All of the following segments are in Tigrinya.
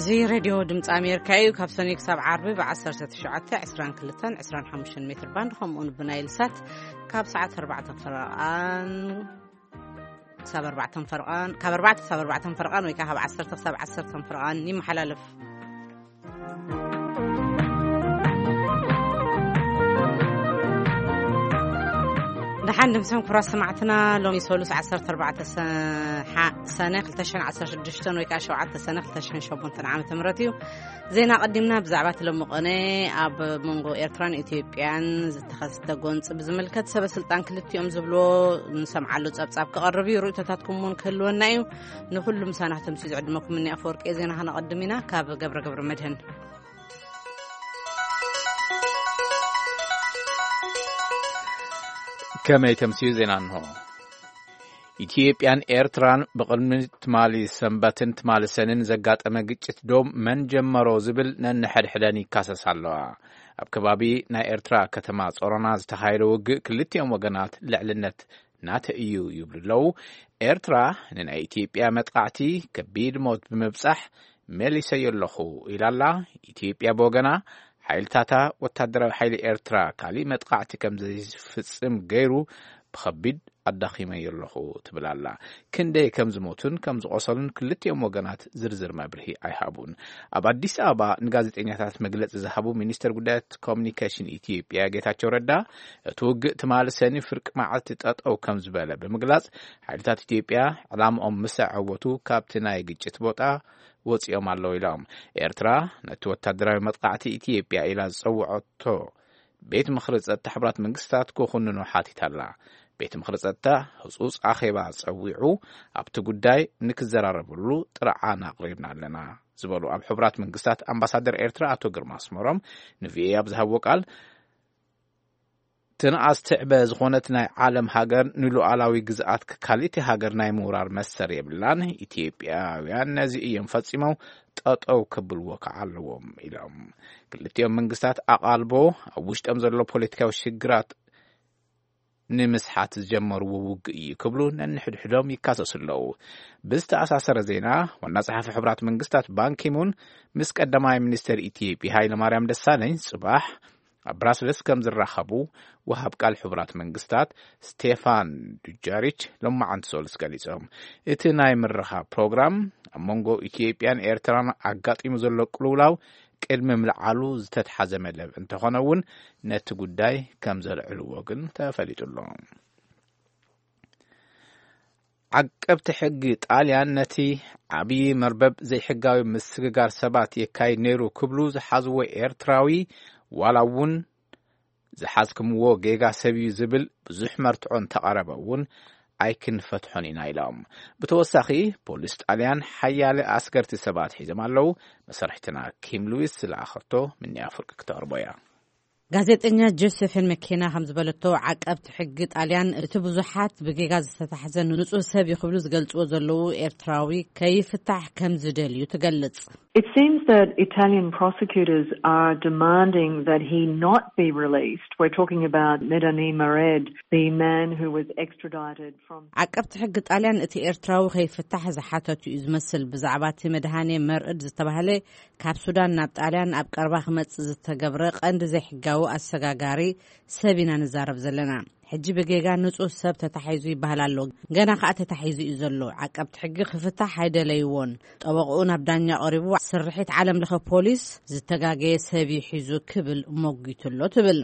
እዚ ሬድዮ ድምፂ ኣሜሪካ እዩ። ካብ ሰኑይ ክሳብ ዓርቢ ብ1922 25 ሜትር ባንድ፣ ከምኡውን ብናይል ሳት ካብ ሰዓት ኣርባዕተ ፈረቓን ክሳብ ኣርባዕተ ፈረቓን፣ ካብ ኣርባዕተ ክሳብ ኣርባዕተ ፈረቓን ወይ ከዓ ካብ ዓሰርተ ክሳብ ዓሰርተ ፈረቓን ይመሓላለፍ። ደሓን ድምፅም ክብራት ሰማዕትና፣ ሎሚ ሰሉስ ዓሰርተ ኣርባዕተ ሰ-፣ ሓ-፣ ሰነ ክልተ ሽሕን ዓሰርተ ሽዱሽተን ወይ ከዓ ሸውዓተ ሰነ ክልተ ሽሕን ሸሞንተን ዓመተ ምህረት እዩ። ዜና ቀዲምና። ብዛዕባ እቲ ሎሚ ቅነ ኣብ መንጎ ኤርትራን ኢትዮጵያን ዝተኸስተ ጎንፂ ብዝምልከት ሰበ ስልጣን ክልቲኦም ዝብልዎ ንሰምዓሉ ጸብጻብ ክቐርብ እዩ። ርእይቶታትኩም እውን ክህልወና እዩ። ንኹሉ ምሳና ክተምስዩ ዝዕድመኩም እኒ ኣፈወርቂ ዜና ክነቐድም ኢና። ካብ ገብረ ገብረ መድህን። ከመይ ተምስዩ ዜና እንሆ። ኢትዮጵያን ኤርትራን ብቕድሚ ትማሊ ሰንበትን ትማሊ ሰንን ዘጋጠመ ግጭት ዶ መን ጀመሮ ዝብል ነንሕድሕደን ይካሰስ ኣለዋ። ኣብ ከባቢ ናይ ኤርትራ ከተማ ጾሮና ዝተኻየደ ውግእ ክልቲኦም ወገናት ልዕልነት ናተ እዩ ይብሉ ኣለዉ። ኤርትራ ንናይ ኢትዮጵያ መጥቃዕቲ ከቢድ ሞት ብምብጻሕ መሊሰዮ ኣለኹ ኢላ ኣላ። ኢትዮጵያ ብወገና ሓይልታታ ወታደራዊ ሓይሊ ኤርትራ ካሊእ መጥቃዕቲ ከም ዘይፍጽም ገይሩ ብኸቢድ ኣዳኺመዮ ኣለኹ ትብል ኣላ። ክንደይ ከም ዝሞቱን ከም ዝቆሰሉን ክልቲኦም ወገናት ዝርዝር መብርሂ ኣይሃቡን። ኣብ ኣዲስ ኣበባ ንጋዜጠኛታት መግለጺ ዝሃቡ ሚኒስትር ጉዳያት ኮሚኒኬሽን ኢትዮጵያ ጌታቸው ረዳ፣ እቲ ውግእ ትማሊ ሰኒ ፍርቂ መዓልቲ ጠጠው ከም ዝበለ ብምግላጽ፣ ሓይልታት ኢትዮጵያ ዕላምኦም ምስ ኣዐወቱ ካብቲ ናይ ግጭት ቦታ ወጺኦም ኣለዉ ኢሎም። ኤርትራ ነቲ ወታደራዊ መጥቃዕቲ ኢትዮጵያ ኢላ ዝጸውዐቶ ቤት ምኽሪ ጸጥታ ሕቡራት መንግስታት ክኹንኖ ሓቲታ ኣላ። ቤት ምኽሪ ጸጥታ ህጹጽ ኣኼባ ጸዊዑ ኣብቲ ጉዳይ ንክዘራረብሉ ጥርዓን ኣቕሪብና ኣለና ዝበሉ ኣብ ሕቡራት መንግስታት ኣምባሳደር ኤርትራ ኣቶ ግርማ ኣስመሮም ንቪኦኤ ኣብ ዝሃብዎ ቃል፣ ትንኣስ ትዕበ ዝኾነት ናይ ዓለም ሃገር ንሉዓላዊ ግዝኣት ካልእቲ ሃገር ናይ ምውራር መሰር የብላን። ኢትዮጵያውያን ነዚ እዮም ፈጺሞም ጠጠው ክብልዎ ከዓ ኣለዎም ኢሎም። ክልቲኦም መንግስታት ኣቓልቦ ኣብ ውሽጦም ዘሎ ፖለቲካዊ ሽግራት ንምስሓት ዝጀመርዎ ውግእ እዩ ክብሉ ነንሕድሕዶም ይካሰሱ ኣለዉ። ብዝተኣሳሰረ ዜና፣ ዋና ጸሓፊ ሕቡራት መንግስታት ባንኪሙን ምስ ቀዳማይ ሚኒስትር ኢትዮጵያ ሃይለማርያም ደሳለኝ ጽባሕ ኣብ ብራስለስ ከም ዝራኸቡ ወሃብ ቃል ሕቡራት መንግስታት ስቴፋን ዱጃሪች ሎማዓንቲ ሰሉስ ገሊጾም። እቲ ናይ ምርኻብ ፕሮግራም ኣብ መንጎ ኢትዮጵያን ኤርትራን ኣጋጢሙ ዘሎ ቅልውላው ቅድሚ ምልዓሉ ዝተትሓዘ መደብ እንተኾነ እውን ነቲ ጉዳይ ከም ዘልዕልዎ ግን ተፈሊጡ ኣሎ። ዓቀብቲ ሕጊ ጣልያን ነቲ ዓብዪ መርበብ ዘይሕጋዊ ምስግጋር ሰባት የካይድ ነይሩ ክብሉ ዝሓዝዎ ኤርትራዊ፣ ዋላ እውን ዝሓዝክምዎ ጌጋ ሰብ እዩ ዝብል ብዙሕ መርትዖ እንተቐረበ እውን ኣይክንፈትሖን ኢና ኢሎም። ብተወሳኺ ፖሊስ ጣልያን ሓያለ ኣስገርቲ ሰባት ሒዞም ኣለዉ። መሰርሕትና ኪም ሉዊስ ዝለኣኸቶ ምኒ ኣፍርቂ ክተቕርቦ እያ። ጋዜጠኛ ጆሴፊን መኬና ከም ዝበለቶ፣ ዓቀብቲ ሕጊ ጣልያን እቲ ብዙሓት ብጌጋ ዝተታሕዘ ንጹህ ሰብ እዩ ክብሉ ዝገልጽዎ ዘለዉ ኤርትራዊ ከይፍታሕ ከም ዝደልዩ ትገልጽ። It seems that Italian prosecutors are demanding that he not be released. We're talking about Medani Mared, the man who was extradited from ዓቀብቲ ሕጊ ጣልያን እቲ ኤርትራዊ ከይፍታሕ ዝሓተቱ እዩ ዝመስል። ብዛዕባ እቲ መድሃኔ መርዕድ ዝተባህለ ካብ ሱዳን ናብ ጣልያን ኣብ ቀረባ ክመጽእ ዝተገብረ ቀንዲ ዘይሕጋዊ ኣሰጋጋሪ ሰብ ኢና ንዛረብ ዘለና። ሕጂ ብጌጋ ንጹህ ሰብ ተታሒዙ ይበሃል ኣሎ። ገና ከኣ ተታሒዙ እዩ ዘሎ። ዓቀብቲ ሕጊ ክፍታሕ ኣይደለይዎን። ጠበቕኡ ናብ ዳኛ ቀሪቡ ስርሒት ዓለም ለኸ ፖሊስ ዝተጋገየ ሰብ እዩ ሒዙ ክብል ሞጊቱ ኣሎ ትብል።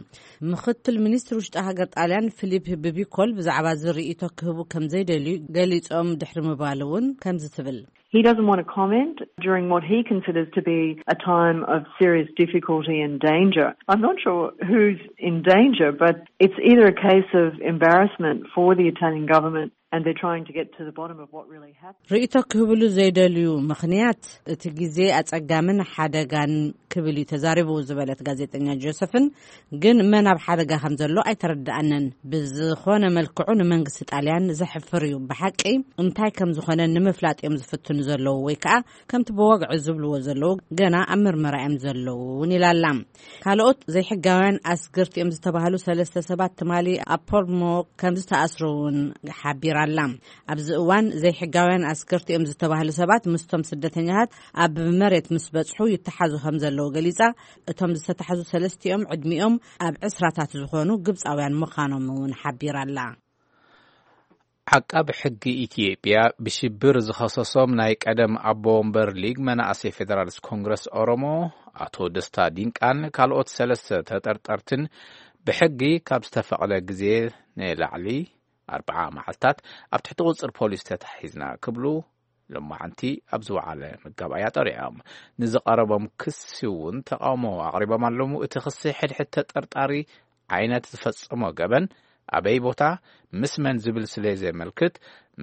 ምኽትል ሚኒስትር ውሽጢ ሃገር ጣልያን ፊሊፕ ብቢኮል ብዛዕባ እዚ ርእይቶ ክህቡ ከም ዘይደልዩ ገሊጾም ድሕሪ ምባል እውን ከምዚ ትብል። He doesn't want to comment during what he considers to be a time of serious difficulty and danger. I'm not sure who's in danger, but it's either a case of embarrassment for the Italian government and they're trying to get to the bottom of what really happened. ርእይቶ ክህብሉ ዘይደልዩ ምኽንያት እቲ ግዜ ኣጸጋምን ሓደጋን ክብል እዩ ተዛሪቡ ዝበለት ጋዜጠኛ ጆሰፍን፣ ግን መን ኣብ ሓደጋ ከም ዘሎ ኣይተረድኣንን። ብዝኾነ መልክዑ ንመንግስቲ ጣልያን ዘሕፍር እዩ። ብሓቂ እንታይ ከም ዝኾነ ንምፍላጥ እዮም ዝፍትኑ ዘለዉ፣ ወይ ከዓ ከምቲ ብወግዒ ዝብልዎ ዘለዉ ገና ኣብ ምርመራ እዮም ዘለዉ እውን ኢላላ። ካልኦት ዘይሕጋውያን ኣስግርቲ እዮም ዝተባህሉ ሰለስተ ሰባት ትማሊ ኣብ ፖርሞ ከም ዝተኣስሩ እውን ሓቢራ። ኣላ። ኣብዚ እዋን ዘይሕጋውያን ኣስከርቲ እዮም ዝተባህሉ ሰባት ምስቶም ስደተኛታት ኣብ መሬት ምስ በጽሑ ይተሓዙ ከም ዘለዉ ገሊጻ። እቶም ዝተታሕዙ ሰለስቲኦም ዕድሚኦም ኣብ ዕስራታት ዝኾኑ ግብጻውያን ምዃኖም እውን ሓቢራ ኣላ። ዓቃቢ ሕጊ ኢትዮጵያ ብሽብር ዝኸሰሶም ናይ ቀደም ኣቦ ወንበር ሊግ መናእሰይ ፌደራሊስት ኮንግረስ ኦሮሞ ኣቶ ደስታ ዲንቃን ካልኦት ሰለስተ ተጠርጠርትን ብሕጊ ካብ ዝተፈቕደ ግዜ ንላዕሊ ኣርብዓ መዓልታት ኣብ ትሕቲ ቁጽር ፖሊስ ተታሒዝና ክብሉ ሎማዓንቲ ኣብ ዝወዓለ መጋባእያ ጠሪዖም። ንዝቐረቦም ክሲ እውን ተቃውሞ ኣቕሪቦም ኣለዉ። እቲ ክሲ ሕድሕድ ተጠርጣሪ ዓይነት ዝፈጸሞ ገበን ኣበይ ቦታ ምስ መን ዝብል ስለ ዘመልክት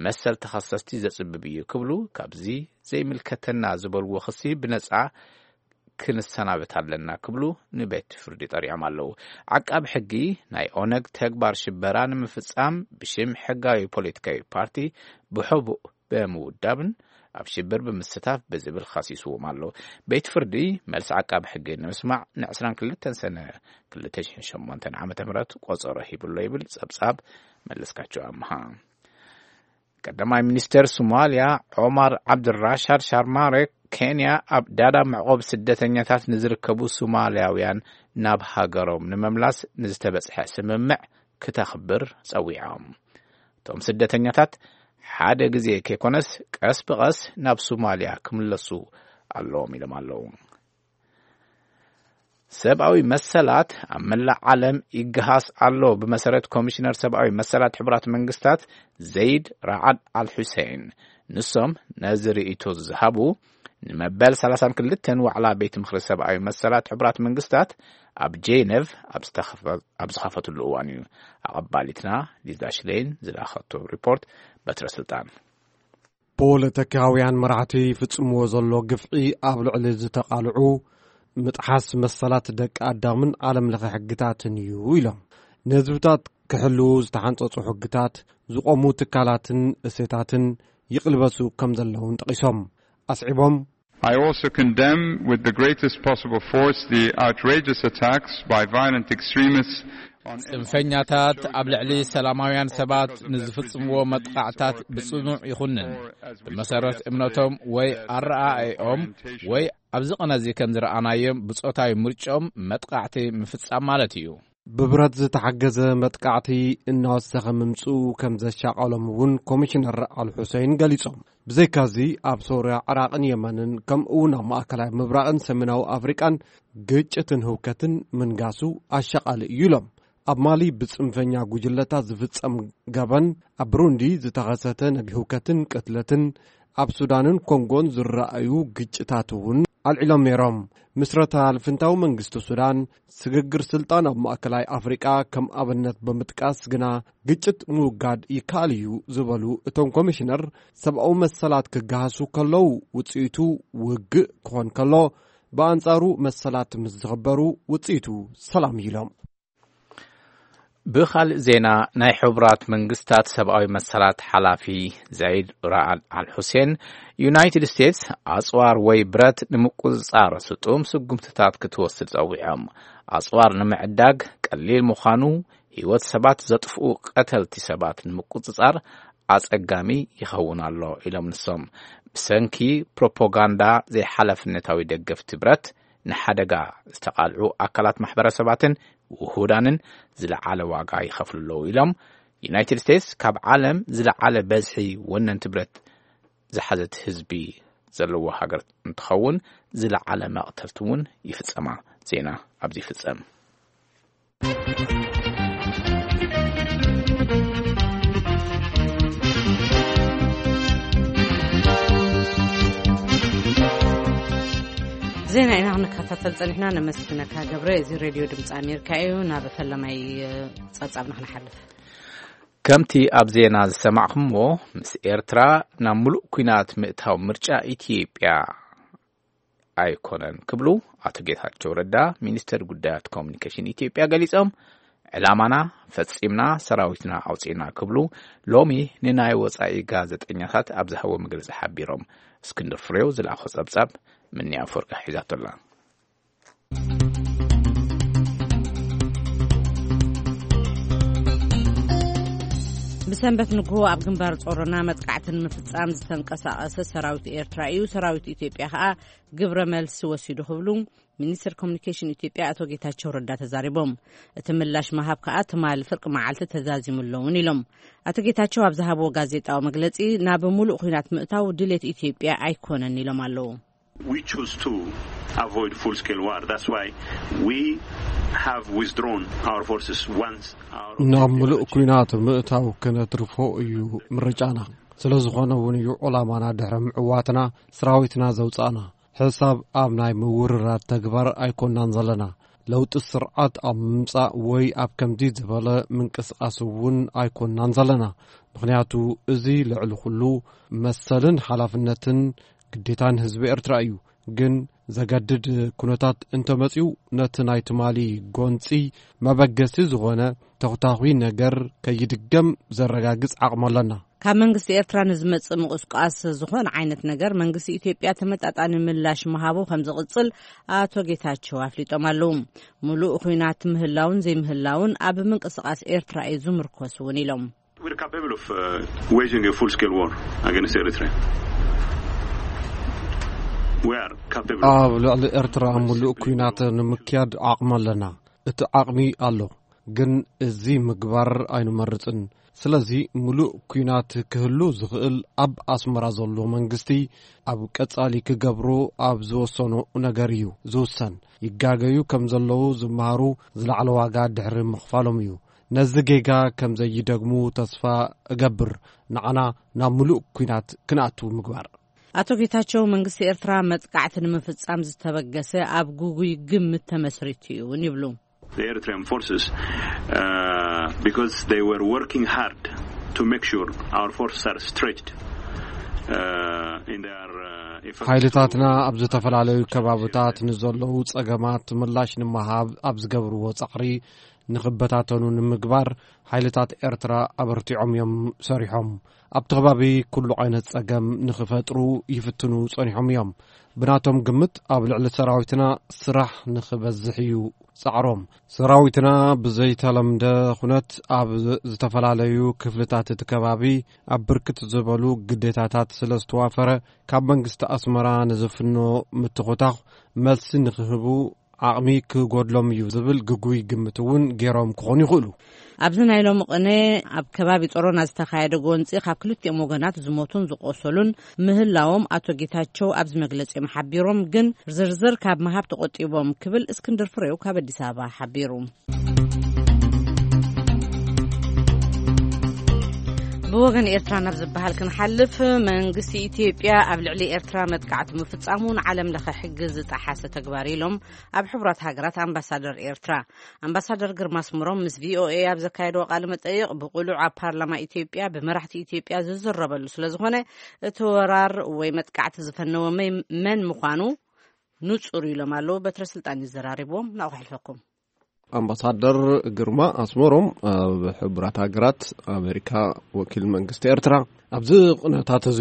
መሰል ተኸሰስቲ ዘጽብብ እዩ ክብሉ ካብዚ ዘይምልከተና ዝበልዎ ክሲ ብነጻ ክንሰናበት ኣለና ክብሉ ንቤት ፍርዲ ጠሪዖም ኣለዉ። ዓቃቢ ሕጊ ናይ ኦነግ ተግባር ሽበራ ንምፍጻም ብሽም ሕጋዊ ፖለቲካዊ ፓርቲ ብሕቡእ ብምውዳብን ኣብ ሽብር ብምስታፍ ብዝብል ኸሲስዎም ኣሎ። ቤት ፍርዲ መልሲ ዓቃቢ ሕጊ ንምስማዕ ን22 ሰነ 2008 ዓ.ም ቆጸሮ ሂብሎ ይብል ጸብጻብ መለስካቸው ኣምሃ። ቀዳማይ ሚኒስተር ሶማልያ ዑማር ዓብድራሻድ ሻርማሬ ኬንያ ኣብ ዳዳ መዕቆብ ስደተኛታት ንዝርከቡ ሶማልያውያን ናብ ሃገሮም ንምምላስ ንዝተበጽሐ ስምምዕ ክተኽብር ጸዊዖም። እቶም ስደተኛታት ሓደ ግዜ ከይኮነስ ቀስ ብቐስ ናብ ሶማልያ ክምለሱ ኣለዎም ኢሎም ኣለዉ። ሰብኣዊ መሰላት ኣብ መላእ ዓለም ይገሃስ ኣሎ። ብመሰረት ኮሚሽነር ሰብኣዊ መሰላት ሕቡራት መንግስታት ዘይድ ራዓድ ኣል ሑሴን፣ ንሶም ነዚ ርእይቶ ዝሃቡ ንመበል 32 ዋዕላ ቤት ምኽሪ ሰብኣዊ መሰላት ሕቡራት መንግስታት ኣብ ጄነቭ ኣብ ዝተኸፈ-፣ ኣብ ዝኸፈትሉ እዋን እዩ። ኣቐባሊትና ሊዛ ሽሌን ዝላኸቶ ሪፖርት በትረ ስልጣን። ፖለቲካውያን መራሕቲ ይፍጽምዎ ዘሎ ግፍዒ ኣብ ልዕሊ ዝተቓልዑ ምጥሓስ መሰላት ደቂ ኣዳምን ዓለም ለኸ ሕግታትን እዩ ኢሎም። ንህዝብታት ክሕልዉ ዝተሓንጸጹ ሕግታት፣ ዝቖሙ ትካላትን እሴታትን ይቕልበሱ ከም ዘለውን ጠቒሶም። ኣስዒቦም፣ I also condemn with the greatest possible force the outrageous attacks by violent extremists on ጽንፈኛታት ኣብ ልዕሊ ሰላማውያን ሰባት ንዝፍጽምዎ መጥቃዕታት ብጽኑዕ ይኹንን። ብመሰረት እምነቶም ወይ ኣረኣእኦም ወይ ኣብዚ ቐነዚ ከም ዝረኣናዮም ብጾታዊ ምርጫኦም መጥቃዕቲ ምፍጻም ማለት እዩ። ብብረት ዝተሓገዘ መጥቃዕቲ እናወሰኸ ምምጽኡ ከም ዘሻቐሎም እውን ኮሚሽነር ኣል ሑሴን ገሊጾም። ብዘይካዚ ኣብ ሶርያ፣ ዕራቕን የመንን ከምኡ እውን ኣብ ማእከላይ ምብራቕን ሰሜናዊ ኣፍሪቃን ግጭትን ህውከትን ምንጋሱ ኣሻቓሊ እዩ ኢሎም። ኣብ ማሊ ብጽንፈኛ ጉጅለታት ዝፍጸም ገበን፣ ኣብ ብሩንዲ ዝተኸሰተ ናይ ህውከትን ቅትለትን፣ ኣብ ሱዳንን ኮንጎን ዝረኣዩ ግጭታት እውን ኣልዒሎም ነይሮም። ምስረታ ልፍንታዊ መንግስቲ ሱዳን፣ ስግግር ስልጣን ኣብ ማእከላይ ኣፍሪቃ ከም ኣብነት ብምጥቃስ ግና ግጭት ምውጋድ ይከኣል እዩ ዝበሉ እቶም ኮሚሽነር፣ ሰብኣዊ መሰላት ክገሃሱ ከለዉ ውጽኢቱ ውግእ ክኾን ከሎ፣ ብኣንጻሩ መሰላት ምስ ዝኽበሩ ውጽኢቱ ሰላም እዩ ኢሎም። ብኻልእ ዜና፣ ናይ ሕቡራት መንግስታት ሰብኣዊ መሰላት ሓላፊ ዘይድ ራዓድ ኣል ሑሴን፣ ዩናይትድ ስቴትስ ኣጽዋር ወይ ብረት ንምቁጽጻር ስጡም ስጉምትታት ክትወስድ ጸዊዖም። ኣጽዋር ንምዕዳግ ቀሊል ምዃኑ፣ ህይወት ሰባት ዘጥፍኡ ቀተልቲ ሰባት ንምቁጽጻር ኣጸጋሚ ይኸውን ኣሎ ኢሎም ንሶም። ብሰንኪ ፕሮፓጋንዳ ዘይሓላፍነታዊ ደገፍቲ ብረት ንሓደጋ ዝተቓልዑ ኣካላት ማሕበረሰባትን ውሁዳንን ዝለዓለ ዋጋ ይኸፍሉ ኣለዉ ኢሎም። ዩናይትድ ስቴትስ ካብ ዓለም ዝለዓለ በዝሒ ወነንቲ ብረት ዝሓዘት ህዝቢ ዘለዎ ሃገር እንትኸውን፣ ዝለዓለ መቕተልቲ እውን ይፍጸማ። ዜና ኣብዚ ይፍጸም። ዜና ኢና ክንከታተል ጸኒሕና። ነመስግነካ ገብረ። እዚ ሬድዮ ድምፂ ኣሜሪካ እዩ። ናብ ፈለማይ ጸብጻብና ክንሓልፍ። ከምቲ ኣብ ዜና ዝሰማዕኹምዎ፣ ምስ ኤርትራ ናብ ምሉእ ኲናት ምእታው ምርጫ ኢትዮጵያ ኣይኮነን ክብሉ ኣቶ ጌታቸው ረዳ፣ ሚኒስተር ጉዳያት ኮሙኒኬሽን ኢትዮጵያ ገሊጾም። ዕላማና ፈጺምና፣ ሰራዊትና ኣውጺእና ክብሉ ሎሚ ንናይ ወጻኢ ጋዜጠኛታት ኣብ ዝሃቦ መግለጺ ሓቢሮም። እስክንድር ፍሬው ዝለኣኾ ጸብጻብ ምንያ ኣፈወርቂ ሒዛቶ ኣላ። ብሰንበት ንግሆ ኣብ ግንባር ጾሮና መጥቃዕቲ ንምፍጻም ዝተንቀሳቐሰ ሰራዊት ኤርትራ እዩ፣ ሰራዊት ኢትዮጵያ ከኣ ግብረ መልሲ ወሲዱ ክብሉ ሚኒስትር ኮሚኒኬሽን ኢትዮጵያ ኣቶ ጌታቸው ረዳ ተዛሪቦም። እቲ ምላሽ ምሃብ ከኣ ትማሊ ፍርቂ መዓልቲ ተዛዚሙ ኣለውን ኢሎም። ኣቶ ጌታቸው ኣብ ዝሃብዎ ጋዜጣዊ መግለጺ፣ ናብ ሙሉእ ኲናት ምእታው ድሌት ኢትዮጵያ ኣይኮነን ኢሎም ኣለዉ። We choose to avoid full scale war. That's why we have withdrawn our forces once our ናብ ምሉእ ኲናት ምእታው ክነትርፎ እዩ ምርጫና። ስለ ዝኾነ እውን እዩ ዕላማና ድሕሪ ምዕዋትና ሰራዊትና ዘውጻእና። ሕሳብ ኣብ ናይ ምውርራድ ተግባር ኣይኮናን ዘለና። ለውጢ ስርዓት ኣብ ምምጻእ ወይ ኣብ ከምዚ ዝበለ ምንቅስቓስ እውን ኣይኮናን ዘለና። ምኽንያቱ እዚ ልዕሊ ኩሉ መሰልን ሓላፍነትን ግዴታን ህዝቢ ኤርትራ እዩ። ግን ዘገድድ ኩነታት እንተመጺኡ ነቲ ናይ ትማሊ ጎንጺ መበገሲ ዝኾነ ተኹታኹይ ነገር ከይድገም ዘረጋግጽ ዓቕሚ ኣለና። ካብ መንግስቲ ኤርትራ ንዝመጽእ ምቁስቃስ ዝኾነ ዓይነት ነገር መንግስቲ ኢትዮጵያ ተመጣጣኒ ምላሽ ምሃቡ ከም ዝቕጽል ኣቶ ጌታቸው ኣፍሊጦም ኣለዉ። ሙሉእ ኹናት ምህላውን ዘይምህላውን ኣብ ምንቅስቃስ ኤርትራ እዩ ዝምርኮስ እውን ኢሎም። We're capable of uh, waging a full-scale war against Eritrea. We are capable. ኣብ ልዕሊ ኤርትራ ምሉእ ኲናት ንምክያድ ዓቕሚ ኣለና። እቲ ዓቕሚ ኣሎ፣ ግን እዚ ምግባር ኣይንመርጽን። ስለዚ ምሉእ ኲናት ክህሉ ዝኽእል ኣብ ኣስመራ ዘሎ መንግስቲ ኣብ ቀጻሊ ክገብሮ ኣብ ዝወሰኖ ነገር እዩ ዝውሰን። ይጋገዩ ከም ዘለዉ ዝመሃሩ ዝለዓለ ዋጋ ድሕሪ ምኽፋሎም እዩ። ነዚ ጌጋ ከም ዘይደግሙ ተስፋ እገብር። ንዓና ናብ ምሉእ ኲናት ክንኣቱ ምግባር። ኣቶ ጌታቸው መንግስቲ ኤርትራ መጥቃዕቲ ንምፍጻም ዝተበገሰ ኣብ ጉጉይ ግምት ተመስሪቱ እዩ እውን ይብሉ። The Eritrean forces, uh, because they were working hard to make sure our forces are stretched uh, in their uh, effort. ሓይልታትና ኣብ ዝተፈላለዩ ከባብታት ንዘለዉ ጸገማት ምላሽ ንምሃብ ኣብ ዝገብርዎ ጻዕሪ ንኽበታተኑ ንምግባር ሓይልታት ኤርትራ ኣበርቲዖም እዮም ሰሪሖም። ኣብቲ ከባቢ ኩሉ ዓይነት ጸገም ንኽፈጥሩ ይፍትኑ ጸኒሖም እዮም። ብናቶም ግምት ኣብ ልዕሊ ሰራዊትና ስራሕ ንኽበዝሕ እዩ ጻዕሮም። ሰራዊትና ብዘይተለምደ ኩነት ኣብ ዝተፈላለዩ ክፍልታት እቲ ከባቢ ኣብ ብርክት ዝበሉ ግዴታታት ስለ ዝተዋፈረ ካብ መንግስቲ ኣስመራ ንዝፍኖ ምትኹታኽ መልሲ ንኽህቡ ዓቕሚ ክጎድሎም እዩ ዝብል ግጉይ ግምት እውን ገይሮም ክኾኑ ይኽእሉ። ኣብዚ ናይ ሎሚ ቅነ ኣብ ከባቢ ጾሮና ዝተኻየደ ጎንጺ ካብ ክልቲኦም ወገናት ዝሞቱን ዝቆሰሉን ምህላዎም ኣቶ ጌታቸው ኣብዚ መግለጺኦም ሓቢሮም፣ ግን ዝርዝር ካብ ምሃብ ተቆጢቦም ክብል እስክንድር ፍሬው ካብ ኣዲስ ኣበባ ሓቢሩ። ብወገን ኤርትራ ናብ ዝበሃል ክንሓልፍ፣ መንግስቲ ኢትዮጵያ ኣብ ልዕሊ ኤርትራ መጥቃዕቲ ምፍጻሙ ንዓለም ለኸ ሕጊ ዝጠሓሰ ተግባር ኢሎም ኣብ ሕቡራት ሃገራት ኣምባሳደር ኤርትራ ኣምባሳደር ግርማ ኣስመሮም ምስ ቪኦኤ ኣብ ዘካየድዎ ቃለ መጠይቕ፣ ብቕሉዕ ኣብ ፓርላማ ኢትዮጵያ ብመራሕቲ ኢትዮጵያ ዝዝረበሉ ስለ ዝኾነ፣ እቲ ወራር ወይ መጥቃዕቲ ዝፈነወ መን ምዃኑ ንጹር ኢሎም ኣለዉ። በትረ ስልጣን ይዘራሪብዎም ናቑ ሕልፈኩም። ኣምባሳደር ግርማ ኣስመሮም ኣብ ሕቡራት ሃገራት ኣሜሪካ ወኪል መንግስቲ ኤርትራ፣ ኣብዚ ቕነታት እዚ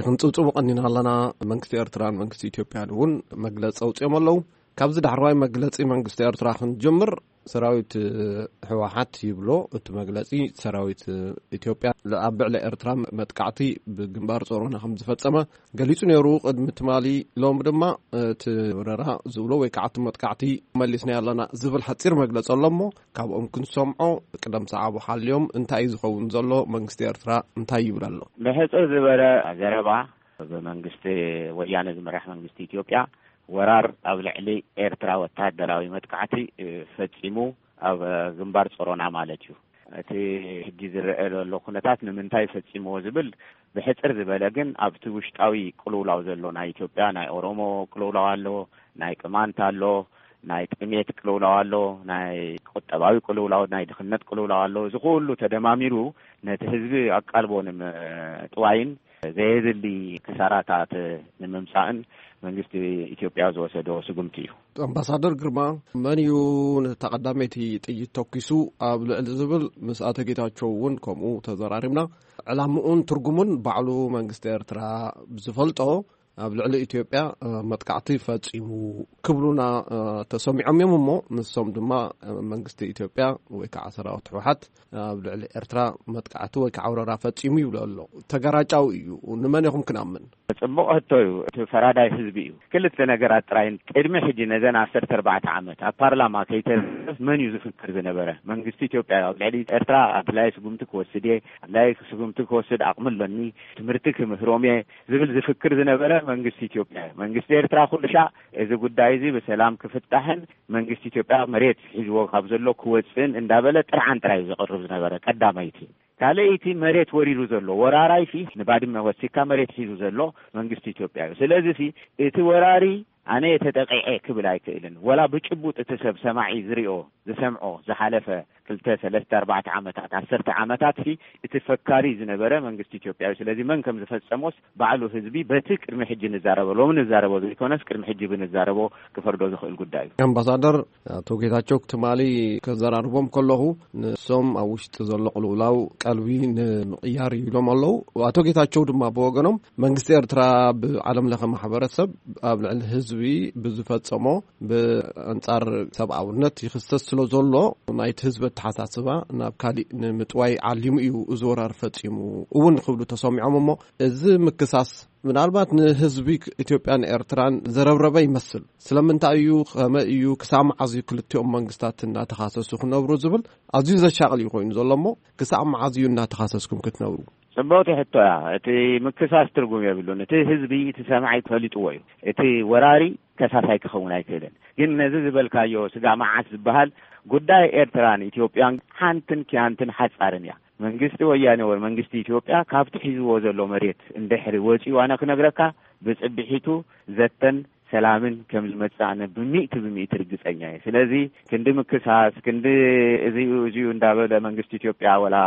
ክንጽብጽቡ ቀኒና ኣለና። መንግስቲ ኤርትራን መንግስቲ ኢትዮጵያን እውን መግለጺ ኣውጺኦም ኣለዉ። ካብዚ ዳሕረዋይ መግለጺ መንግስቲ ኤርትራ ክንጅምር፣ ሰራዊት ህወሓት ይብሎ እቲ መግለጺ፣ ሰራዊት ኢትዮጵያ ኣብ ልዕሊ ኤርትራ መጥቃዕቲ ብግንባር ጾሮና ከም ዝፈጸመ ገሊጹ ነይሩ። ቅድሚ ትማሊ፣ ሎሚ ድማ እቲ ወረራ ዝብሎ ወይ ከዓ እቲ መጥቃዕቲ መሊስናዮ ኣለና ዝብል ሓጺር መግለጺ ኣሎ እሞ፣ ካብኦም ክንሰምዖ ቅደም ሰዓቡ ሓልዮም እንታይ እዩ ዝኸውን ዘሎ? መንግስቲ ኤርትራ እንታይ ይብል ኣሎ? ብሕጽር ዝበለ ዘረባ፣ ብመንግስቲ ወያነ ዝምራሕ መንግስቲ ኢትዮጵያ ወራር ኣብ ልዕሊ ኤርትራ ወታደራዊ መጥቃዕቲ ፈጺሙ፣ ኣብ ግንባር ጾሮና ማለት እዩ። እቲ ሕጂ ዝረአ ዘሎ ኩነታት ንምንታይ ፈጺምዎ ዝብል ብሕጽር ዝበለ፣ ግን ኣብቲ ውሽጣዊ ቅልውላው ዘሎ ናይ ኢትዮጵያ፣ ናይ ኦሮሞ ቅልውላው ኣሎ፣ ናይ ቅማንት ኣሎ፣ ናይ ጥሜት ቅልውላው ኣሎ፣ ናይ ቁጠባዊ ቅልውላው፣ ናይ ድኽነት ቅልውላው ኣሎ። እዚ ኩሉ ተደማሚሩ ነቲ ህዝቢ ኣቃልቦ ንምጥዋይን ዘየድሊ ክሳራታት ንምምጻእን መንግስቲ ኢትዮጵያ ዝወሰዶ ስጉምቲ እዩ። ኣምባሳደር ግርማ፣ መን እዩ ነታ ቀዳመይቲ ጥይት ተኲሱ ኣብ ልዕሊ ዝብል ምስ ኣቶ ጌታቸው እውን ከምኡ ተዘራሪብና። ዕላምኡን ትርጉሙን ባዕሉ መንግስቲ ኤርትራ ብዝፈልጦ ኣብ ልዕሊ ኢትዮጵያ መጥቃዕቲ ፈጺሙ ክብሉና ተሰሚዖም እዮም። እሞ ንሶም ድማ መንግስቲ ኢትዮጵያ ወይ ከዓ ሰራዊት ህወሓት ኣብ ልዕሊ ኤርትራ መጥቃዕቲ ወይ ከዓ ወረራ ፈጺሙ ይብሉ ኣሎ። ተጋራጫዊ እዩ። ንመን ኢኹም ክናምን? ጽቡቕ ሕቶ እዩ። እቲ ፈራዳይ ህዝቢ እዩ። ክልተ ነገራት ጥራይ ቅድሚ ሕጂ ነዘን ዓሰርተ ኣርባዕተ ዓመት ኣብ ፓርላማ ከይተረፍ መን እዩ ዝፍክር ዝነበረ? መንግስቲ ኢትዮጵያ ኣብ ልዕሊ ኤርትራ ኣድላይ ስጉምቲ ክወስድ እየ፣ ኣድላይ ስጉምቲ ክወስድ ኣቕሚ ኣለኒ፣ ትምህርቲ ክምህሮም እየ ዝብል ዝፍክር ዝነበረ መንግስቲ ኢትዮጵያ እዩ። መንግስቲ ኤርትራ ኩሉ ሻዕ እዚ ጉዳይ እዚ ብሰላም ክፍታሕን መንግስቲ ኢትዮጵያ መሬት ሒዝዎ ካብ ዘሎ ክወፅእን እንዳበለ ጥርዓን ጥራይ እዩ ዘቕርብ ዝነበረ ቀዳመይቲ። ካልኣይቲ መሬት ወሪሩ ዘሎ ወራራይ ሲ ንባድመ ወሲካ መሬት ሒዙ ዘሎ መንግስቲ ኢትዮጵያ እዩ። ስለዚ ሲ እቲ ወራሪ ኣነ እየ ተጠቂዐ ክብል ኣይክእልን። ወላ ብጭቡጥ እቲ ሰብ ሰማዒ ዝሪኦ ዝሰምዖ ዝሓለፈ ክልተ ሰለስተ ኣርባዕተ ዓመታት ዓሰርተ ዓመታት ሲ እቲ ፈካሪ ዝነበረ መንግስቲ ኢትዮጵያ እዩ። ስለዚ መን ከም ዝፈጸሞስ ባዕሉ ህዝቢ በቲ ቅድሚ ሕጂ ንዛረቦ ሎሚ ንዛረቦ ዘይኮነስ ቅድሚ ሕጂ ብንዛረቦ ክፈርዶ ዝኽእል ጉዳይ እዩ። ኣምባሳደር ኣቶ ጌታቸው ትማሊ ከዘራርቦም ከለኹ ንሶም ኣብ ውሽጢ ዘሎ ቅልውላው ቀልቢ ንምቕያር እዩ ኢሎም ኣለዉ። ኣቶ ጌታቸው ድማ ብወገኖም መንግስቲ ኤርትራ ብዓለም ለኸ ማሕበረሰብ ኣብ ልዕሊ ህዝቢ ብዝፈጸሞ ብኣንጻር ሰብኣውነት ይኽሰስ ስለ ዘሎ ናይቲ ህዝቢ ኣተሓሳስባ ናብ ካሊእ ንምጥዋይ ዓሊሙ እዩ እዚ ወራር ፈጺሙ እውን ክብሉ ተሰሚዖም። እሞ እዚ ምክሳስ ምናልባት ንህዝቢ ኢትዮጵያን ኤርትራን ዘረብረበ ይመስል። ስለምንታይ እዩ፣ ከመይ እዩ፣ ክሳብ መዓዝ እዩ ክልቲኦም መንግስታት እናተኻሰሱ ክነብሩ ዝብል ኣዝዩ ዘሻቕል እዩ ኮይኑ ዘሎ። እሞ ክሳብ መዓዝ እዩ እናተኻሰስኩም ክትነብሩ? ጽብቕቲ ሕቶ እያ። እቲ ምክሳስ ትርጉም የብሉን። እቲ ህዝቢ፣ እቲ ሰማዒ ፈሊጥዎ እዩ። እቲ ወራሪ ከሳሳይ ክኸውን ኣይክእልን። ግን ነዚ ዝበልካዮ ስጋ መዓት ዝበሃል ጉዳይ ኤርትራን ኢትዮጵያን ሓንትን ኪያንትን ሓጻርን እያ። መንግስቲ ወያኔ ወይ መንግስቲ ኢትዮጵያ ካብቲ ሒዝዎ ዘሎ መሬት እንድሕሪ ወጺኡ ኣነ ክነግረካ ብጽብሒቱ ዘተን ሰላምን ከም ዝመጽእ ኣነ ብሚእቲ ብሚእቲ ርግጸኛ እየ። ስለዚ ክንዲ ምክሳስ፣ ክንዲ እዚኡ እዚኡ እንዳበለ መንግስቲ ኢትዮጵያ ወላ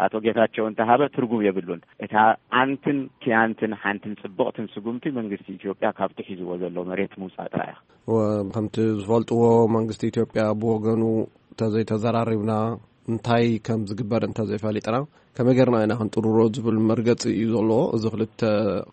ኣቶ ጌታቸው እንተሃበ ትርጉም የብሉን። እታ ኣንትን ኪያንትን ሓንትን ጽብቕትን ስጉምቲ መንግስቲ ኢትዮጵያ ካብቲ ሒዝዎ ዘሎ መሬት ምውጻእ ጥራይ እያ። ወ-፣ ከምቲ ዝፈልጥዎ መንግስቲ ኢትዮጵያ ብወገኑ እንተዘይተዘራሪብና እንታይ ከም ዝግበር እንተዘይፈሊጥና ከመይ ጌርና ኢና ክንጥርሮ ዝብል መርገጺ እዩ ዘለዎ። እዚ ክልተ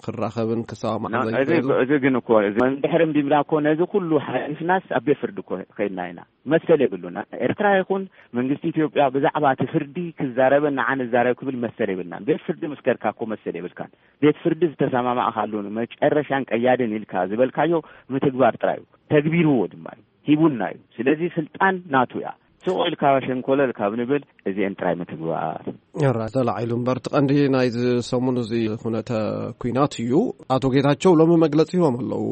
ክራኸብን ክሰማማዕ ና-፣ እዚ፣ ዘይክእልን። እዚ ግን እኮ፣ እዚ እንድሕር እምቢምና እኮ ነዚ ኩሉ ሓሊፍናስ ኣብ ቤት ፍርዲ እኮ ከይድና ኢና። መሰል የብሉና። ኤርትራ ይኹን መንግስቲ ኢትዮጵያ ብዛዕባ እቲ ፍርዲ ክዛረበን ንዓ ንዛረብ ክብል መሰል የብልናን። ቤት ፍርዲ ምስ ከድካ እኮ መሰል የብልካን። ቤት ፍርዲ ዝተሰማማዕካሉ መጨረሻን ቀያድን ኢልካ ዝበልካዮ ምትግባር ጥራይ እዩ። ተግቢርዎ ድማ እዩ። ሂቡና እዩ። ስለዚ ስልጣን ናቱ እያ። ስቕ ኢልካ ሸንኮለል ካብ ንብል እዚአን ጥራይ ምትግባር። ራ ተላዒሉ እምበር፣ እቲ ቀንዲ ናይዚ ሰሙን እዚ ኩነተ ኲናት እዩ። ኣቶ ጌታቸው ሎሚ መግለጺ ሂቦም ኣለዉ።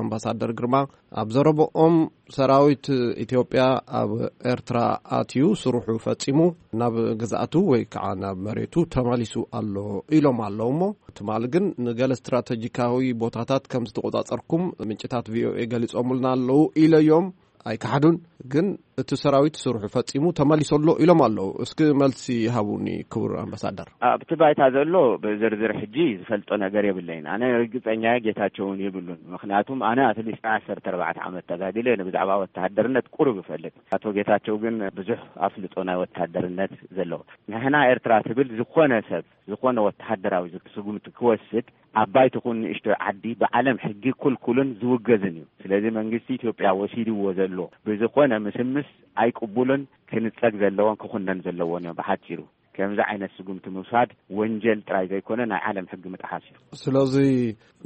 ኣምባሳደር ግርማ ኣብ ዘረብኦም ሰራዊት ኢትዮጵያ ኣብ ኤርትራ ኣትዩ ስርሑ ፈጺሙ ናብ ግዝኣቱ ወይ ከዓ ናብ መሬቱ ተመሊሱ ኣሎ ኢሎም ኣለዉ። እሞ ትማሊ ግን ንገለ ስትራተጂካዊ ቦታታት ከም ዝተቆጻጸርኩም ምንጭታት ቪኦኤ ገሊጾምልና ኣለዉ ኢለዮም። ኣይከሓዱን፣ ግን እቲ ሰራዊት ስርሑ ፈጺሙ ተመሊሱ ኣሎ ኢሎም ኣለዉ። እስኪ መልሲ ሃቡኒ ክቡር ኣምባሳደር። ኣብቲ ባይታ ዘሎ ብዝርዝር ሕጂ ዝፈልጦ ነገር የብለይን። ኣነ ርግጸኛ እየ፣ ጌታቸው እውን የብሉን። ምኽንያቱም ኣነ ኣትሊስት ዓሰርተ ኣርባዕተ ዓመት ተጋዲለ፣ ብዛዕባ ወተሃደርነት ቁሩብ እፈልጥ። ኣቶ ጌታቸው ግን ብዙሕ ኣፍልጦ ናይ ወተሃደርነት ዘለዎ። ንሕና ኤርትራ ትብል ዝኾነ ሰብ፣ ዝኾነ ወተሃደራዊ ስጉምቲ ክወስድ ዓባይ ትኹን ንእሽቶ ዓዲ ብዓለም ሕጊ ክልኩልን ዝውገዝን እዩ። ስለዚ መንግስቲ ኢትዮጵያ ወሲድዎ ዘሎ ብዝኾነ ምስምስ ኣይቅቡልን፣ ክንጸግ ዘለዎን ክኹነን ዘለዎን እዮም። ብሓጺሩ ከምዚ ዓይነት ስጉምቲ ምውሳድ ወንጀል ጥራይ ዘይኮነ ናይ ዓለም ሕጊ ምጥሓስ እዩ። ስለዚ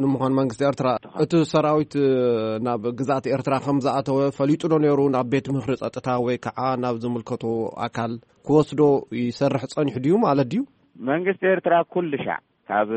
ንምዃን መንግስቲ ኤርትራ እቲ ሰራዊት ናብ ግዝኣት ኤርትራ ከም ዝኣተወ ፈሊጡ ዶ ነይሩ? ናብ ቤት ምኽሪ ጸጥታ ወይ ከዓ ናብ ዝምልከቶ ኣካል ክወስዶ ይሰርሕ ጸኒሑ ድዩ ማለት ድዩ? መንግስቲ ኤርትራ ኩሉ ሻዕ ካብ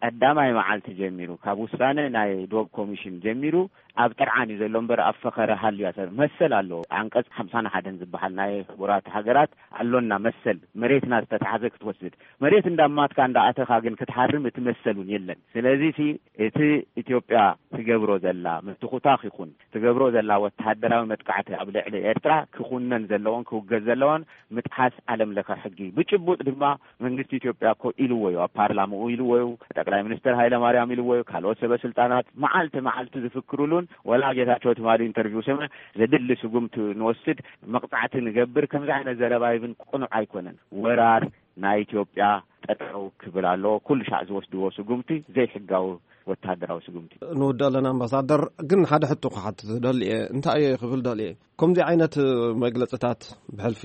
ቀዳማይ መዓልቲ ጀሚሩ፣ ካብ ውሳነ ናይ ዶብ ኮሚሽን ጀሚሩ ኣብ ጥርዓን እዩ ዘሎ እምበር ኣብ ፈኸረ ሃልዩ ኣሰር መሰል ኣለዎ። ዓንቀጽ ሓምሳን ሓደን ዝበሃል ናይ ሕቡራት ሃገራት ኣሎና መሰል፣ መሬትና ዝተታሕዘ ክትወስድ፣ መሬት እንዳማትካ እንዳኣተኻ ግን ክትሃርም እቲ መሰል እውን የለን። ስለዚ ሲ እቲ ኢትዮጵያ ትገብሮ ዘላ ምትኹታኽ ይኹን ትገብሮ ዘላ ወተሃደራዊ መጥቃዕቲ ኣብ ልዕሊ ኤርትራ ክኹነን ዘለዎን ክውገዝ ዘለዎን ምጥሓስ ዓለም ለኸ ሕጊ። ብጭቡጥ ድማ መንግስቲ ኢትዮጵያ እኮ ኢልዎ እዩ፣ ኣብ ፓርላማኡ ኢልዎ እዩ፣ ጠቅላይ ሚኒስትር ሃይለ ማርያም ኢልዎ እዩ፣ ካልኦት ሰበ ስልጣናት መዓልቲ መዓልቲ ዝፍክሩሉን፣ ወላ ጌታቸው ትማሊ ኢንተርቪው ስምዕ ዘድሊ ስጉምቲ ንወስድ መቕጻዕቲ ንገብር ከምዚ ዓይነት ዘረባ ይብን ቅኑዕ ኣይኮነን። ወራር ናይ ኢትዮጵያ ጠጠው ክብል ኣለዎ። ኩሉ ሻዕ ዝወስድዎ ስጉምቲ ዘይሕጋዊ ወታደራዊ ስጉምቲ። ንውድእ ኣለና ኣምባሳደር፣ ግን ሓደ ሕቶ ክሓትት ደልየ። እንታይ እየ ክብል ደልየ? ከምዚ ዓይነት መግለጽታት ብሕልፊ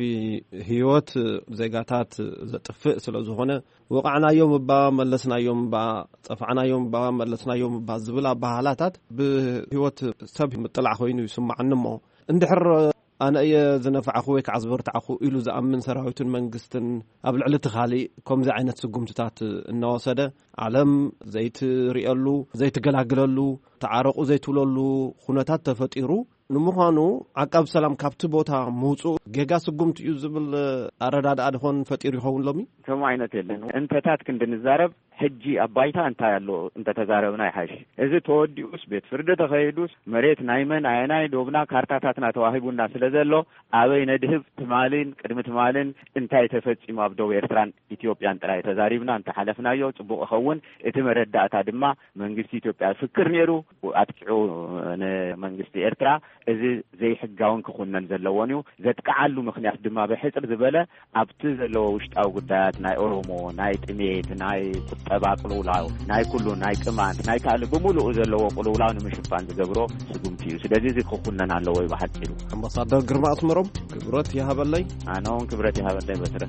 ህይወት ዜጋታት ዘጥፍእ ስለ ዝኾነ፣ ወቓዕናዮም እባ መለስናዮም እባ፣ ጸፋዕናዮም እባ መለስናዮም እባ ዝብል ኣባህላታት ብህይወት ሰብ ምጥላዕ ኮይኑ ይስማዓኒ። እሞ እንድሕር ኣነ እየ ዝነፋዕኹ ወይ ከዓ ዝበርታዕኹ ኢሉ ዝኣምን ሰራዊትን መንግስትን ኣብ ልዕሊ እቲ ካሊእ ከምዚ ዓይነት ስጉምትታት እናወሰደ፣ ዓለም ዘይትርእየሉ፣ ዘይትገላግለሉ፣ ተዓረቑ ዘይትብለሉ ኩነታት ተፈጢሩ፣ ንምዃኑ ዓቃብ ሰላም ካብቲ ቦታ ምውፅኡ ጌጋ ስጉምቲ እዩ ዝብል ኣረዳድኣ ድኾን ፈጢሩ ይኸውን ሎሚ? ከምኡ ዓይነት የለን። እንተታት ክንድንዛረብ ሕጂ ኣብ ባይታ እንታይ ኣሎ እንተተዛረብና ይሓይሽ። እዚ ተወዲኡስ፣ ቤት ፍርዲ ተኸይዱስ፣ መሬት ናይ መን ኣየናይ ዶብና ካርታታትና ተዋሂቡና ስለ ዘሎ፣ ኣበይ ነድህብ ትማልን ቅድሚ ትማልን እንታይ ተፈጺሙ ኣብ ዶብ ኤርትራን ኢትዮጵያን ጥራይ ተዛሪብና እንተሓለፍናዮ ጽቡቕ ይኸውን። እቲ መረዳእታ ድማ መንግስቲ ኢትዮጵያ ፍክር ነይሩ፣ ኣጥቂዑ ንመንግስቲ ኤርትራ። እዚ ዘይሕጋውን ክኹነን ዘለዎን እዩ። ዘጥቅዓሉ ምኽንያት ድማ ብሕጽር ዝበለ ኣብቲ ዘለዎ ውሽጣዊ ጉዳያት ናይ ኦሮሞ፣ ናይ ጥሜት፣ ናይ ቁጠባ ቅልውላው፣ ናይ ኩሉ፣ ናይ ቅማንት፣ ናይ ካልእ ብምሉኡ ዘለዎ ቅልውላው ንምሽፋን ዝገብሮ ስጉምቲ እዩ። ስለዚ እዚ ክኹነን ኣለዎ እዩ ብሓጺሩ። ኣምባሳደር ግርማ ኣስመሮም ክብረት ይሃበለይ። ኣነ እውን ክብረት ይሃበለይ በትረ።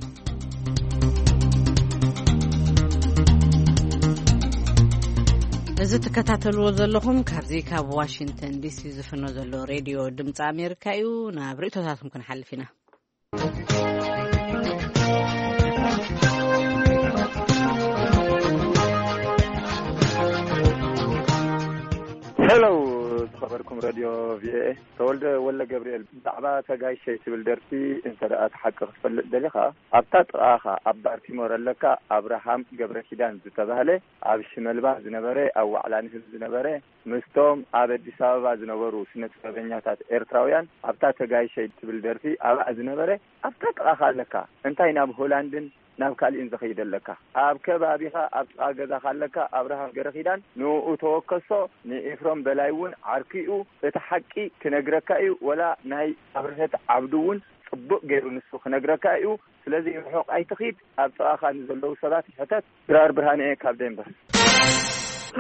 እዚ ትከታተልዎ ዘለኹም ካብዚ ካብ ዋሽንግተን ዲሲ ዝፍኖ ዘሎ ሬድዮ ድምፂ ኣሜሪካ እዩ። ናብ ርእቶታትኩም ክንሓልፍ ኢና። ሄሎ፣ ዝኸበርኩም ረድዮ ቪኦኤ፣ ተወልደ ወልደ ገብርኤል። ብዛዕባ ተጋይሸይ ትብል ደርፊ እንተ ደኣ እቲ ሓቂ ክትፈልጥ ደሊኻ፣ ኣብታ ጥቓኻ ኣብ ባርቲሞር ኣለካ ኣብርሃም ገብረ ኪዳን ዝተባህለ፣ ኣብ ሽመልባ ዝነበረ፣ ኣብ ዋዕላ ንህብ ዝነበረ፣ ምስቶም ኣብ ኣዲስ ኣበባ ዝነበሩ ስነ ጥበበኛታት ኤርትራውያን ኣብታ ተጋይሸይ ትብል ደርፊ ኣብኣ ዝነበረ ኣብታ ጥቓኻ ኣለካ። እንታይ ናብ ሆላንድን ናብ ካሊእን ዝኸይድ ኣለካ? ኣብ ከባቢኻ ኣብ ጥቓ ገዛኻ ኣለካ ኣብርሃም ገረኺዳን፣ ንኡ ተወከሶ፣ ንኤፍሮም በላይ እውን ዓርኪኡ እቲ ሓቂ ክነግረካ እዩ፣ ወላ ናይ ኣብርሀት ዓብዱ እውን ጽቡቕ ገይሩ ንሱ ክነግረካ እዩ። ስለዚ ርሑቕ ኣይትኺድ፣ ኣብ ጥቓኻ ንዘለዉ ሰባት ሕተት። ድራር ብርሃነ እየ ካብ ደንበር።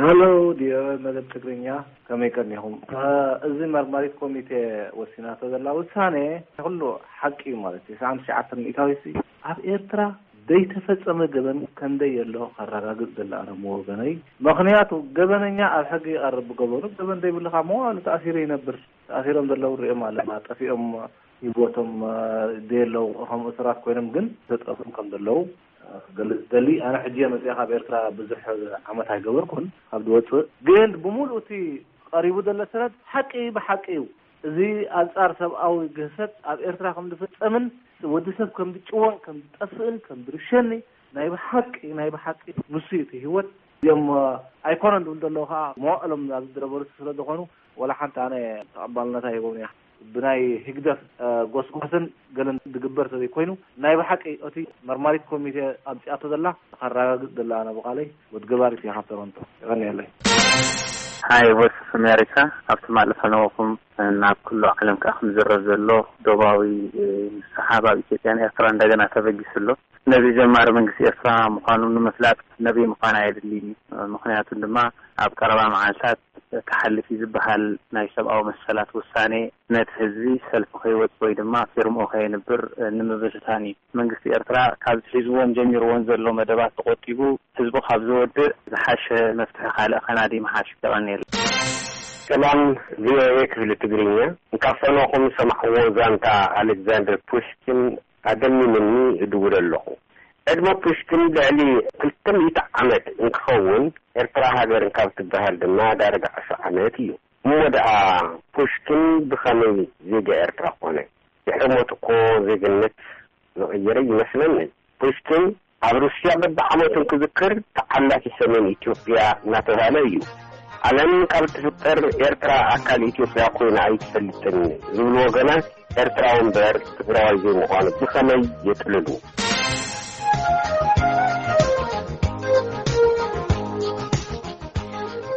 ሃሎ፣ ድዮ መደብ ትግርኛ፣ ከመይ ቀኒኹም? እ፣ እዚ መርማሪት ኮሚቴ ወሲናቶ ዘላ ውሳኔ ኩሉ ሓቂ እዩ ማለት እዩ። ትስዓን ትሽዓተን ሚእታዊት ኣብ ኤርትራ ዘይተፈጸመ ገበን ከንደይ የሎ ከረጋግጽ ዘለ ኣነ ወገነይ። ምኽንያቱ ገበነኛ ኣብ ሕጊ ይቐርብ ብገበኑ፣ ገበን ዘይብልኻ መዋሉ ተኣሲሩ ይነብር። ተኣሲሮም ዘለዉ ሪኦም ኣለና፣ ጠፊኦም ይቦቶም፣ እ፣ ደየለው ከም እሱራት ኮይኖም ግን ተጠፍኦም ከም ዘለዉ ክገልጽ ደሊ። ኣነ ሕጂ እየ መጽኣ ካብ ኤርትራ ብዙሕ ዓመት ኣይገበርኩን። ካብ ዝወጽእ ግን ብምሉእ እቲ ቀሪቡ ዘሎ ሰነድ ሓቂ ብሓቂ እዩ። እዚ ኣንጻር ሰብኣዊ ግህሰት ኣብ ኤርትራ ከም ዝፍጸምን ወዲ ሰብ ከም ዝጭወን ከም ዝጠፍእን ከም ዝርሸኒ ናይ ብሓቂ ናይ ብሓቂ ንሱ እዩ እቲ ህይወት። እዮም ኣይኮነን ዝብል ዘለዉ ከኣ መዋእሎም ኣብዚ ዝነበሩ ስለ ዝኾኑ ወላ ሓንቲ ኣነ ተቐባልነታ ሂቦም እያ። ብናይ ህግደፍ፣ እ፣ ጎስጓስን ገለን ዝግበር ተዘይኮይኑ፣ ናይ ብሓቂ እቲ መርማሪት ኮሚቴ ኣምጺኣቶ ዘላ ከረጋግጽ ዘላ ኣነ ብቓለይ ወድ ገባሪት እያ ካብ ቶሮንቶ። የቐንየለይ። ሃይ ቮይስ ኦፍ ኣሜሪካ፣ ኣብቲ ማለፍ ኣለኹም ናብ ኩሉ ዓለም ከኣ ክምዝረብ ዘሎ ዶባዊ፣ እ፣ ሰሓብ ኣብ ኢትዮጵያን ኤርትራ እንደገና ተበጊሱ ኣሎ። ነዚ ጀማሪ መንግስቲ ኤርትራ ምዃኑ ንምፍላጥ ነብይ ምዃን ኣየድልይን እዩ። ምኽንያቱ ድማ ኣብ ቀረባ መዓልታት ክሓልፍ እዩ ዝበሃል ናይ ሰብኣዊ መሰላት ውሳኔ ነቲ ህዝቢ ሰልፊ ከይወጽእ ወይ ድማ ፊርምኡ ከየንብር ንምብትታን እዩ። መንግስቲ ኤርትራ ካብዚ ሒዝዎን ጀሚርዎን ዘሎ መደባት ተቖጢቡ ህዝቡ ካብ ዝወድእ ዝሓሸ መፍትሒ ካልእ ከናዲ ምሓሽ። የቐንየለይ። ሰላም ቪኦኤ ክፍሊ ትግርኛ፣ እንካብ ፈኖኹም ዝሰማዕዎ ዛንታ ኣሌክዛንደር ፑሽኪን ኣደሚምኒ እድውል ኣለኹ። ዕድመ ፑሽኪን ልዕሊ ክልተ ሚእቲ ዓመት እንክኸውን፣ ኤርትራ ሃገር እንካብ ትበሃል ድማ ዳርጋ ዕስራ ዓመት እዩ። እሞ ደኣ ፑሽኪን ብኸመይ ዜጋ ኤርትራ ኮነ? ድሕሪ ሞቱ እኮ ዜግነት ዝቐየረ ይመስለኒ። ፑሽኪን ኣብ ሩስያ በብዓመቱ እንክዝክር፣ ተዓላፊ ሰሜን ኢትዮጵያ እናተባህለ እዩ። ዓለም ካብ እትፍጠር ኤርትራ ኣካል ኢትዮጵያ ኮይና ኣይትፈልጥን ዝብሉ ወገናት፣ ኤርትራዊ እምበር ትግራዋይ ዘይምዃኑ ብኸመይ የጥልሉ?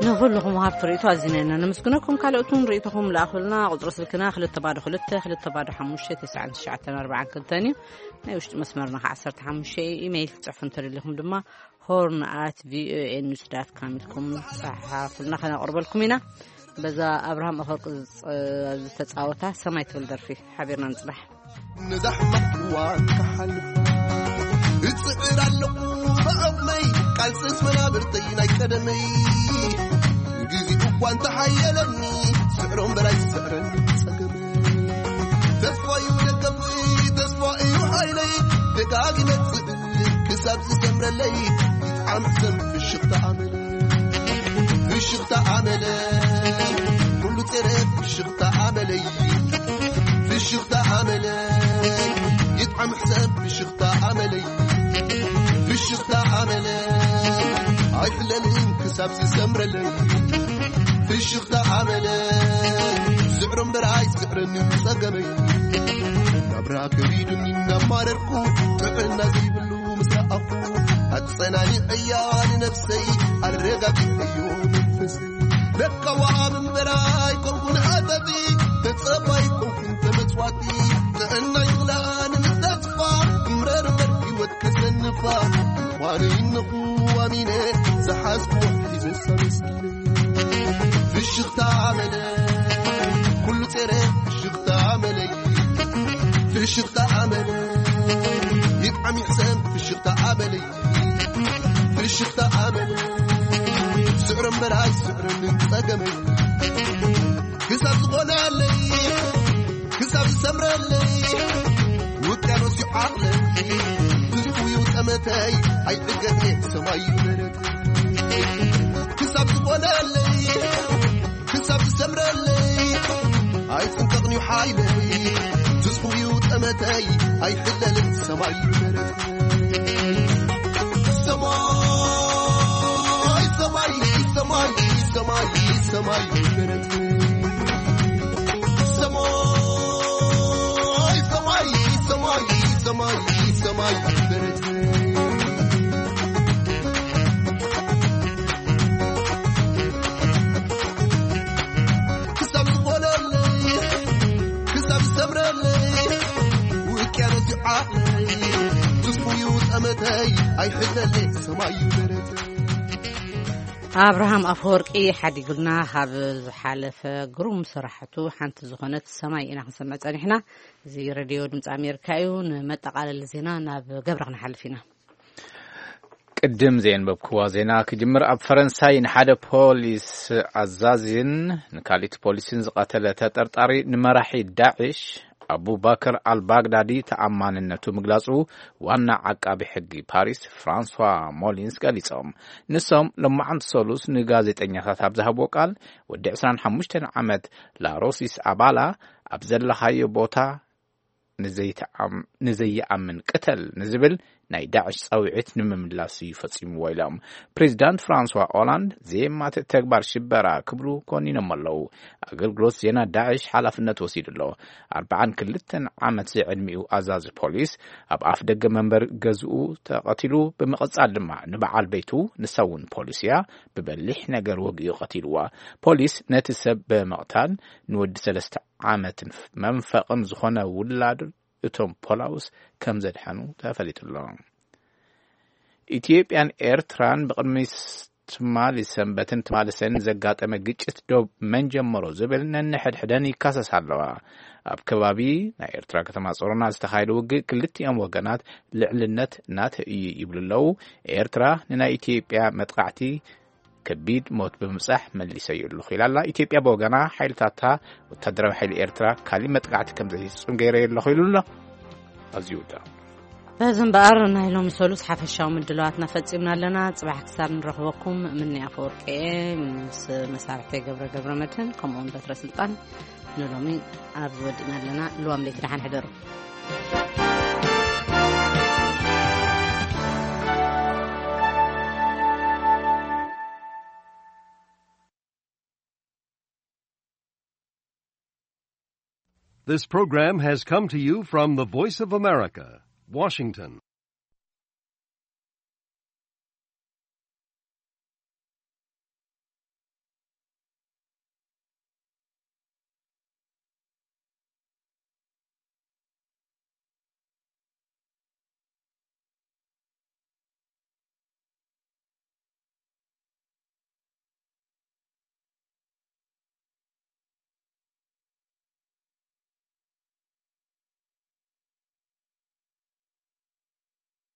ንኹልኹም ወሃብቲ ርእይቶ ኣዚና ኢና ነመስግነኩም። ካልኦት እውን ርእይቶኹም ለኣኹልና። ቁጽሪ ስልክና ክልተ ባዶ ክልተ ክልተ ባዶ ሓሙሽተ ተስዓን ትሽዓተን ኣርባዓን ክልተን እዩ። ናይ ውሽጢ መስመርና ከኣ ዓሰርተ ሓሙሽተ እዩ። ኢሜይል ክትጽሕፉ እንተደሊኹም ድማ ሆርን ኣት ቪኦኤ ኒውስ ዳት ካም ኢልኩም ጸሓፉልና፣ ከነቕርበልኩም ኢና። በዛ ኣብርሃም ኣፈወርቂ ዝጸ-፣ ዝተጻወታ ሰማይ ትብል ደርፊ ሓቢርና ንጽናሕ። ንዛሕማ እዋን ክሓልፍ እጽዕር ኣለኹ ብዕቕመይ፣ ቃልስስ መናብርተይ ናይ ቀደመይ። ግዜ እኳ እንተሓየለኒ፣ ስዕሮም በላይ ስዕረን ጸገመይ። ተስፋ እዩ ደገፍይ፣ ተስፋ እዩ ሓይለይ፣ ደጋጊመ ክስእል ክሳብ ዝሰምረለይ። ይጥዓም ሕሰም ፍሽኽታ ኣመለይ፣ ፍሽኽታ ኣመለይ፣ ኩሉ ጸረ ፍሽኽታ ኣመለይ፣ ፍሽኽታ ኣመለይ። ይጥዓም ሕሰም ፍሽኽታ ኣመለይ፣ ፍሽኽታ ኣመለይ። ኣይሕለልን ክሳብ ዝሰምረለይ፣ ፍሽኽታ ኣመለይ። ስዕሮ እምበር ኣይስዕረኒ ጸገመይ። ናብራ ከቢዱኒ እናማረርኩ፣ ጥዕና ዘይብሉ ምስ ረኣኹ፣ ኣጸናኒዐያ ንነብሰይ፣ ኣረጋጊዐዮ መንፈሰይ። ለካ ወሃብ እምበር ኣይኮንኩን ሃተፊ፣ ተጸባይ ኣይኮንኩን ተመጽዋቲ። ጥዕና ይኽላኒ ምስ ተስፋ፣ እምረር እምበር ህይወት ከሰንፋ። ምዃነይ እነኹ ኣሚነ፣ ዝሓዝኩዎ ሒዘ ኣመስጊነ። ፍሽኽታ ኣመለይ፣ ኩሉ ጸረ ፍሽኽታ ኣመለይ፣ ፍሽኽታ ኣመለይ። ይጥዓም ይሕሰም ፍሽኽታ ኣመለይ፣ ፍሽኽታ ኣመለይ። ስዕሮ እምበር ኣይስዕረንን ጸገመይ። ክሳብ ዝኾነለይ፣ ክሳብ ዝሰምረለይ፣ ውቅያኖስ እዩ ዓቕለይ። ትዝፉ እዩ ጠመተይ፣ ኣይዕገት እየ ሰማይ እዩ መሬት። ክሳብ ዝኾነለይ፣ ክሳብ ዝሰምረለይ፣ ኣይጽንቀቕን እዩ ሓይለይ። ትዝፉ እዩ ጠመተይ፣ ኣይሕለልን ሰማይ እዩ መሬት። ሰማይ፣ ሰማይ፣ ሰማይ፣ ሰማይ፣ ሰማይ፣ ሰማይ፣ ሰማይ፣ ሰማይ፣ ሰማይ። ክሳብ ዝኾነለይ፣ ክሳብ ዝሰምረለይ፣ ውቅያኖስ ይዓለይ፣ ትስፉ እዩ ጠመተይ፣ ኣይሕለለይ ሰማይ እዩ መሬተይ። ኣብርሃም ኣፈወርቂ ሓዲጉልና ካብ ዝሓለፈ ግሩም ስራሕቱ ሓንቲ ዝኾነት ሰማይ ኢና ክንሰምዕ ጸኒሕና። እዚ ሬድዮ ድምፂ ኣሜሪካ እዩ። ንመጠቓለሊ ዜና ናብ ገብረ ክንሓልፍ ኢና። ቅድም ዘየንበብክዋ ዜና ክጅምር። ኣብ ፈረንሳይ ንሓደ ፖሊስ ኣዛዚን ንካልኢት ፖሊስን ዝቐተለ ተጠርጣሪ ንመራሒ ዳዕሽ ኣቡባከር ኣልባግዳዲ ተኣማንነቱ ምግላጹ ዋና ዓቃቢ ሕጊ ፓሪስ ፍራንሷ ሞሊንስ ገሊጾም። ንሶም ሎማዓንቲ ሰሉስ ንጋዜጠኛታት ኣብ ዝሃብዎ ቃል፣ ወዲ ዕስራን ሓሙሽተን ዓመት ላሮሲስ ኣባላ ኣብ ዘለኻዮ ቦታ ንዘይተኣም-፣ ንዘይኣምን ቅተል ንዝብል ናይ ዳዕሽ ጻውዒት ንምምላስ እዩ ፈጺምዎ ኢሎም። ፕሬዚዳንት ፍራንስዋ ኦላንድ ዘየማትእ ተግባር ሽበራ ክብሉ ኮኒኖም ኣለዉ። ኣገልግሎት ዜና ዳዕሽ ሓላፍነት ወሲዱ ኣሎ። ኣርብዓን ክልተን ዓመት ዝዕድሚኡ ኣዛዚ ፖሊስ ኣብ ኣፍ ደገ መንበር ገዝኡ ተቐቲሉ፣ ብምቕጻል ድማ ንበዓል ቤቱ፣ ንሳ እውን ፖሊስ እያ፣ ብበሊሕ ነገር ወጊኡ ቀቲልዋ። ፖሊስ ነቲ ሰብ ብምቕታል ንወዲ ሰለስተ ዓመትን መንፈቕን ዝኾነ ውላድ እቶም ፖላውስ ከም ዘድሐኑ ተፈሊጡ ኣሎ። ኢትዮጵያን ኤርትራን ብቕድሚ ትማሊ ሰንበትን ትማሊ ሰንን ዘጋጠመ ግጭት ዶብ መን ጀመሮ ዝብል ነንሕድሕደን ይካሰሳ ኣለዋ። ኣብ ከባቢ ናይ ኤርትራ ከተማ ጾሮና ዝተኻየደ ውግእ ክልቲኦም ወገናት ልዕልነት ናተይ እዩ ይብሉ ኣለዉ። ኤርትራ ንናይ ኢትዮጵያ መጥቃዕቲ ከቢድ ሞት ብምብጻሕ መሊሰዮ ኣለኹ ኢላ ኣላ። ኢትዮጵያ ብወገና ሓይልታታ ወታደራዊ ሓይሊ ኤርትራ ካሊእ መጥቃዕቲ ከም ዘይፍጽም ገይረዮ ኣለኹ ኢሉ ኣሎ። ኣብዚ ይውዳእ። በዚ እምበኣር ናይ ሎሚ ሰሉስ ሓፈሻዊ ምድላዋትና ፈጺምና ኣለና። ጽባሕ ክሳብ ንረኽበኩም፣ ምኒ ኣፈወርቂ እየ ምስ መሳርሕተይ ገብረ ገብረ መድህን ከምኡውን በትረ ስልጣን ንሎሚ ኣብዚ ወዲእና ኣለና። ልዋም ለይቲ ደሓን ሕደሩ። This program has come to you from the Voice of America, Washington.